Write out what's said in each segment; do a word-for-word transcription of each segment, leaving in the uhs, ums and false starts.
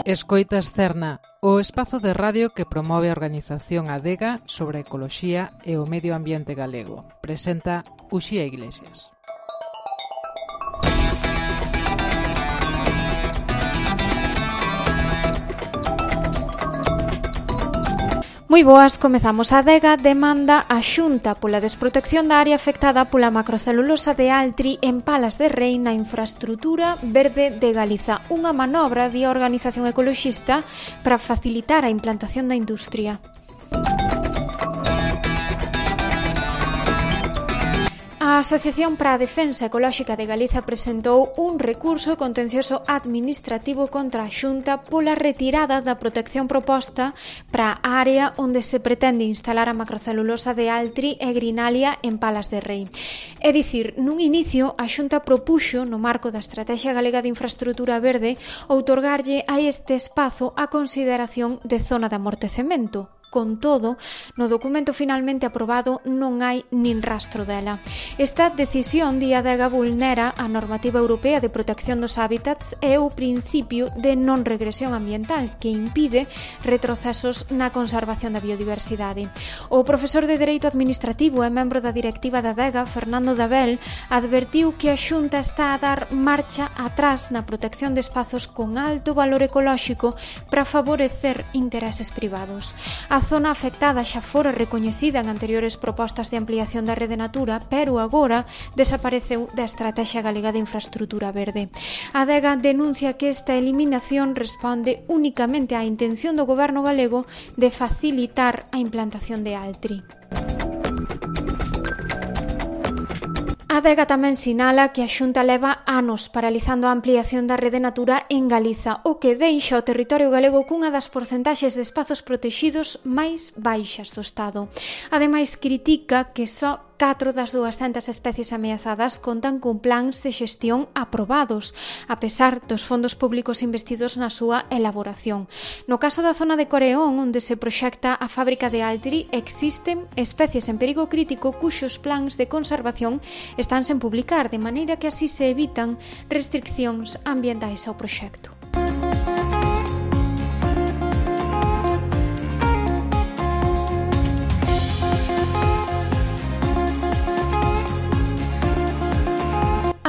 Escoitas Cerna, o espazo de radio que promove a organización Adega sobre a ecoloxía e o medio ambiente galego. Presenta Uxía Iglesias. Moi boas, comezamos. A Adega demanda a Xunta pola desprotección da área afectada pola macrocelulosa de Altri en Palas de Rei na infraestrutura verde de Galiza. Unha manobra de organización ecoloxista para facilitar a implantación da industria. A Asociación para a Defensa Ecolóxica de Galiza presentou un recurso contencioso administrativo contra a Xunta pola retirada da protección proposta para a área onde se pretende instalar a macrocelulosa de Altri e Grinalia en Palas de Rei. É dicir, nun inicio, a Xunta propuxo, no marco da Estrategia Galega de Infraestrutura Verde, outorgarlle a este espazo a consideración de zona de amortecemento. Con todo, no documento finalmente aprobado non hai nin rastro dela. Esta decisión de Adega vulnera a normativa europea de protección dos hábitats e o principio de non regresión ambiental que impide retrocesos na conservación da biodiversidade. O profesor de Dereito Administrativo e membro da directiva da Adega, Fernando Dabel, advertiu que a Xunta está a dar marcha atrás na protección de espazos con alto valor ecolóxico para favorecer intereses privados. A A zona afectada xa fora recoñecida en anteriores propostas de ampliación da rede Natura, pero agora desapareceu da Estrategia Galega de Infraestrutura Verde. A Adega denuncia que esta eliminación responde únicamente á intención do goberno galego de facilitar a implantación de Altri. A Adega tamén sinala que a Xunta leva anos paralizando a ampliación da rede Natura en Galiza, o que deixa o territorio galego cunha das porcentaxes de espazos protexidos máis baixas do Estado. Ademais, critica que só catro das duascentas especies ameazadas contan con plans de xestión aprobados, a pesar dos fondos públicos investidos na súa elaboración. No caso da zona de Coreón, onde se proxecta a fábrica de Altri, existen especies en perigo crítico cuxos plans de conservación están sen publicar, de maneira que así se evitan restriccións ambientais ao proxecto.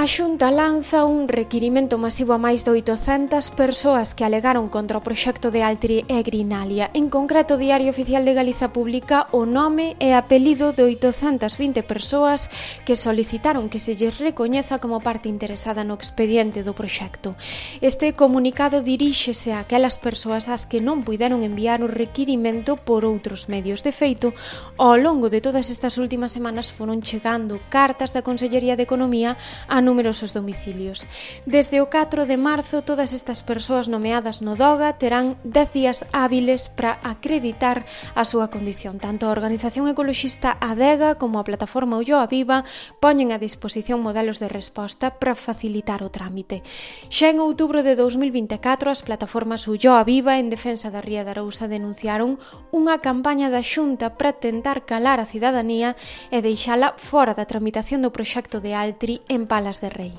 A Xunta lanza un requirimento masivo a máis de oitocentas persoas que alegaron contra o proxecto de Altri e Grinalia. En concreto, o Diario Oficial de Galiza publica o nome e apelido de oitocentas vinte persoas que solicitaron que se lles recoñeza como parte interesada no expediente do proxecto. Este comunicado diríxese a aquelas persoas ás que non puideron enviar o requirimento por outros medios. De feito, ao longo de todas estas últimas semanas foron chegando cartas da Consellería de Economía a numerosos domicilios. Desde o catro de marzo, todas estas persoas nomeadas no DOGA terán dez días hábiles para acreditar a súa condición. Tanto a organización ecoloxista Adega como a plataforma Ulloa Viva poñen a disposición modelos de resposta para facilitar o trámite. Xa en outubro de dous mil vinte e catro, as plataformas Ulloa Viva en defensa da Ría de Arousa denunciaron unha campaña da Xunta para tentar calar a cidadanía e deixala fora da tramitación do proxecto de Altri en Palas de Rei.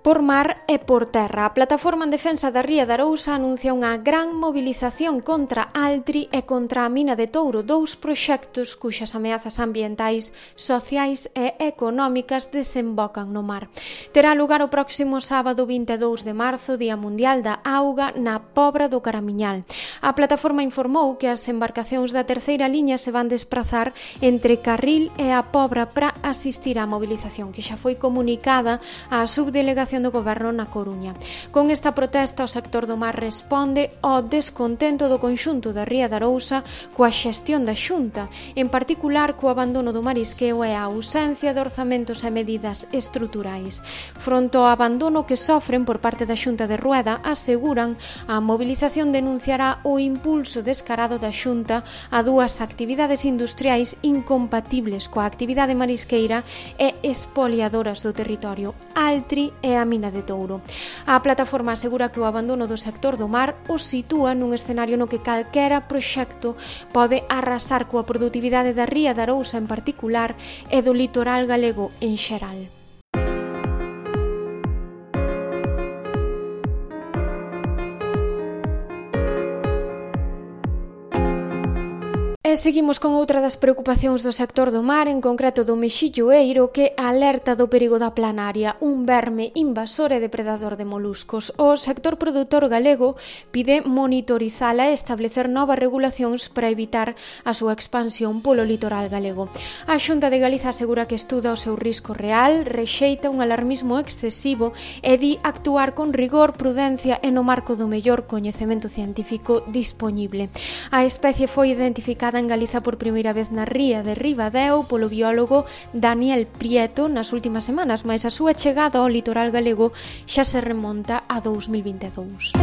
Por mar e por terra, a Plataforma en Defensa da Ría de Arousa anuncia unha gran mobilización contra Altri e contra a mina de Touro, dous proxectos cuxas ameazas ambientais, sociais e económicas desembocan no mar. Terá lugar o próximo sábado vinte e dous de marzo, Día Mundial da Auga, na Pobra do Caramiñal. A plataforma informou que as embarcacións da terceira liña se van desprazar entre Carril e a Pobra para asistir á mobilización, que xa foi comunicada á subdelegación do Goberno na Coruña. Con esta protesta, o sector do mar responde ao descontento do conxunto da Ría de Arousa coa xestión da Xunta, en particular co abandono do marisqueo e a ausencia de orzamentos e medidas estruturais. Fronto ao abandono que sofren por parte da Xunta de Rueda, aseguran a mobilización denunciará o impulso descarado da Xunta a dúas actividades industriais incompatibles coa actividade marisqueira e expoliadoras do territorio, Altri e a mina de Touro. A plataforma asegura que o abandono do sector do mar o sitúa nun escenario no que calquera proxecto pode arrasar coa produtividade da ría de Arousa en particular e do litoral galego en xeral. E seguimos con outra das preocupacións do sector do mar, en concreto do mexilloeiro, que alerta do perigo da planaria, un verme invasor e depredador de moluscos. O sector produtor galego pide monitorizala e establecer novas regulacións para evitar a súa expansión polo litoral galego. A Xunta de Galiza asegura que estuda o seu risco real, rexeita un alarmismo excesivo e di actuar con rigor, prudencia e no marco do mellor coñecemento científico dispoñible. A especie foi identificada en Galiza por primeira vez na ría de Ribadeo polo biólogo Daniel Prieto nas últimas semanas, mas a súa chegada ao litoral galego xa se remonta a dous mil vinte e dous.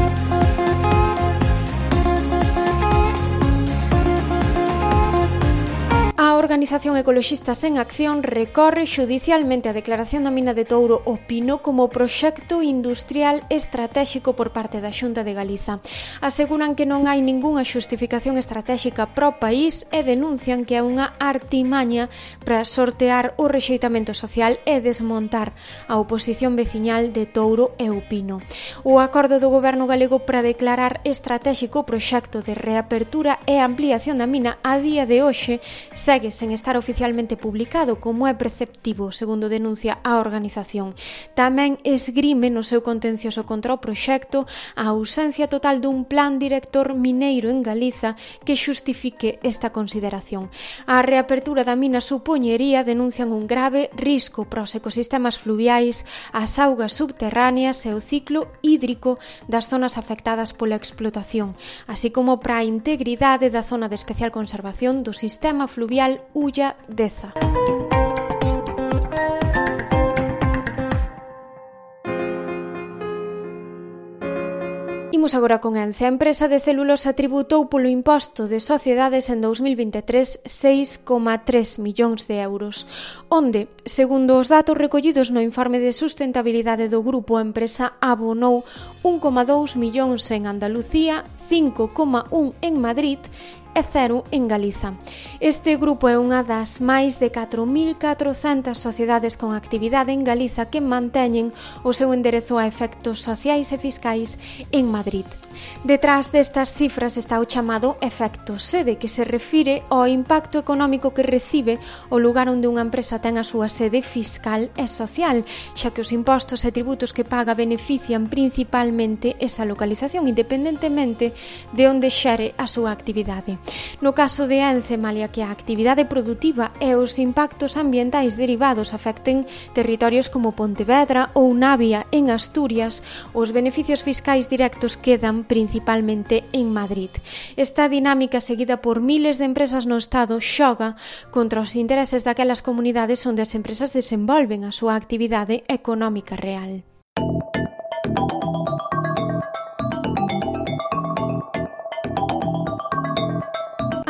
A organización Ecoloxistas en Acción recorre xudicialmente a declaración da mina de Touro o Pino como proxecto industrial estratéxico por parte da Xunta de Galiza. Aseguran que non hai ningunha xustificación estratéxica pro país e denuncian que é unha artimaña para sortear o rexeitamento social e desmontar a oposición veciñal de Touro e o Pino. O acordo do goberno galego para declarar estratéxico o proxecto de reapertura e ampliación da mina a día de hoxe segue sen estar oficialmente publicado, como é preceptivo, segundo denuncia a organización. Tamén esgrime no seu contencioso contra o proxecto a ausencia total dun plan director mineiro en Galiza que xustifique esta consideración. A reapertura da mina supoñería, denuncian, un grave risco para os ecosistemas fluviais, as augas subterráneas e o ciclo hídrico das zonas afectadas pola explotación, así como para a integridade da zona de especial conservación do sistema fluvial Ulla Deza. Imos agora con Ence. A empresa de celulosa tributou polo imposto de sociedades en dous mil vinte e tres seis coma tres millóns de euros, onde, segundo os datos recollidos no informe de sustentabilidade do grupo, a empresa abonou un coma dous millóns en Andalucía, cinco coma un en Madrid e cero en Galiza. Este grupo é unha das máis de catro mil catrocentas sociedades con actividade en Galiza que manteñen o seu enderezo a efectos sociais e fiscais en Madrid. Detrás destas cifras está o chamado efecto sede, que se refire ao impacto económico que recibe o lugar onde unha empresa ten a súa sede fiscal e social, xa que os impostos e tributos que paga benefician principalmente esa localización, independentemente de onde xere a súa actividade. No caso de Ence, malia que a actividade produtiva e os impactos ambientais derivados afecten territorios como Pontevedra ou Navia en Asturias, os beneficios fiscais directos quedan principalmente en Madrid. Esta dinámica, seguida por miles de empresas no Estado, xoga contra os intereses daquelas comunidades onde as empresas desenvolven a súa actividade económica real.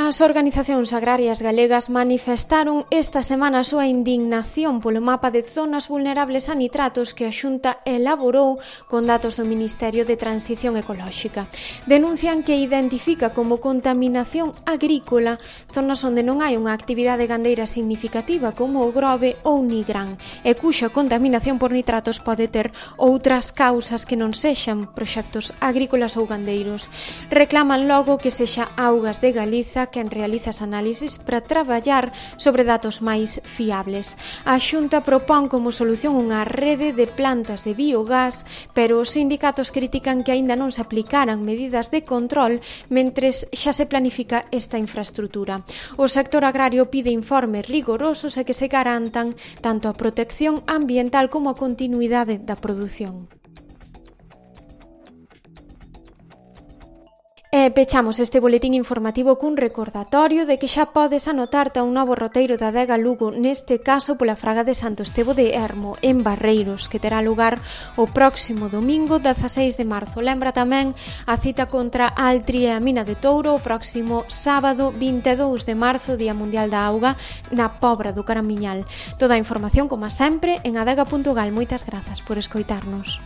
As organizacións agrarias galegas manifestaron esta semana a súa indignación polo mapa de zonas vulnerables a nitratos que a Xunta elaborou con datos do Ministerio de Transición Ecolóxica. Denuncian que identifica como contaminación agrícola zonas onde non hai unha actividade gandeira significativa como o Grove ou Nigrán e cuxa contaminación por nitratos pode ter outras causas que non sexan proxectos agrícolas ou gandeiros. Reclaman logo que sexa Augas de Galiza que quen realiza as análises para traballar sobre datos máis fiables. A Xunta propón como solución unha rede de plantas de biogás, pero os sindicatos critican que aínda non se aplicaran medidas de control mentres xa se planifica esta infraestrutura. O sector agrario pide informes rigorosos e que se garantan tanto a protección ambiental como a continuidade da produción. E pechamos este boletín informativo cun recordatorio de que xa podes anotarte a un novo roteiro da Adega Lugo, neste caso pola Fraga de Santo Estevo de Ermo, en Barreiros, que terá lugar o próximo domingo dezaseis de marzo. Lembra tamén a cita contra Altri e a Mina de Touro o próximo sábado vinte e dous de marzo, Día Mundial da Auga, na Pobra do Caramiñal. Toda a información, como sempre, en adega punto gal. Moitas grazas por escoitarnos.